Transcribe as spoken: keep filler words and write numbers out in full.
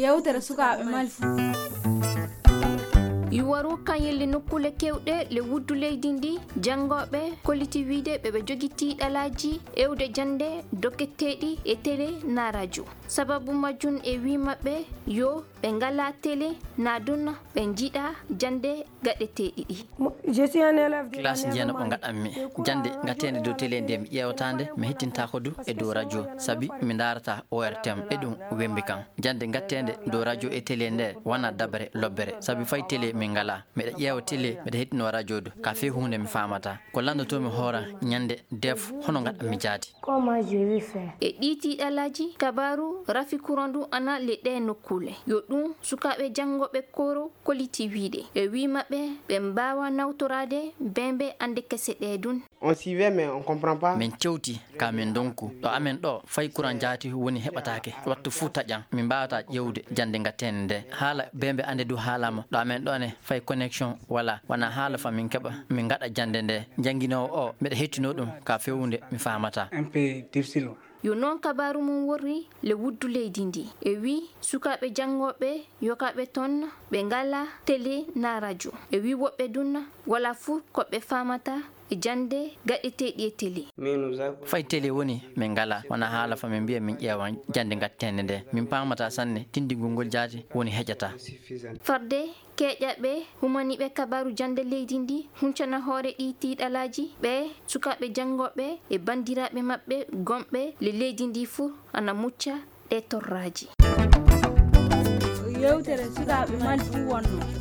Yewtere sukaaɓe Mali fuu. Yuwaru kan yelli nokkuule kewɗe le wuddu leydi ndi, janngooɓe kolliti wiide ɓe ɓe jogi tiiɗalaaji ewde jannde doketeeɗi e tele na rajo. Sababu majjum e wii maɓɓe yo ɓe ngala tele na dun ɓe njiɗa jannde gaɗeteeɗi ɗi. Classe jeenaɓo gaɗanmi jannde gateende dow tele nde mi ƴeewata nde mi hettintaako du e dow radio sabi mi ndaarata O R T M e ɗum wembi kam. Jannde gateende dow radio e tele nde wona dabare lobbere sabi fay tele min ngala. Miɗa ƴeewa tele miɗa hettino radio du ka fii huunde mi faamata. Ko lanndotoomi hoora ñannde def hono ngaɗanmi jaati. E ɗii tiiɗalaaji kabaaru rafi kuran du ana le ɗee nokkuule. Yo ɗum sukaaɓe janngooɓe koro kolliti wiide. E wii maɓɓe ɓe mbaawa nawtoraade bembe annde kese ɗee dun. On suivait mais on comprend pas. Min cewti ka min ndonku ɗo amen ɗo fay kuran jaati woni heɓataake wattu fuu taƴan min mbaawata ƴeewde jannde gateende nde. Haala bembe annde du haalaama ɗo amen ɗo ne fay connexion wala wona haala fa min keɓa min ngaɗa jannde nde. Jannginoowo o miɗa hettino ɗum ka feewunde mi faamata. Yo noon kabaaru mum worri le wuddu leydi ndi e wii sukaaɓe janngooɓe yokaaɓe toon ɓe ngala tele na rajo. E wii woɓɓe dun wala fuu ko ɓe faamata e jannde gaɗeteeɗi e tele. Fay tele woni min ngala wona haala fa min mbiya min ƴeewan jannde gateende nde min paamata sanne tinndingol ngol jaati woni heƴata. Farde keeƴaɓe humaniiɓe kabaaru jannde leydi ndi huncana hoore ɗii tiiɗalaaji ɓe sukaaɓe janngooɓe e banndiraaɓe maɓɓe gomɓe le leydi ndi fuu ana mucca ɗee torraaji. Yewtere sukaaɓe Mali fuu wonno.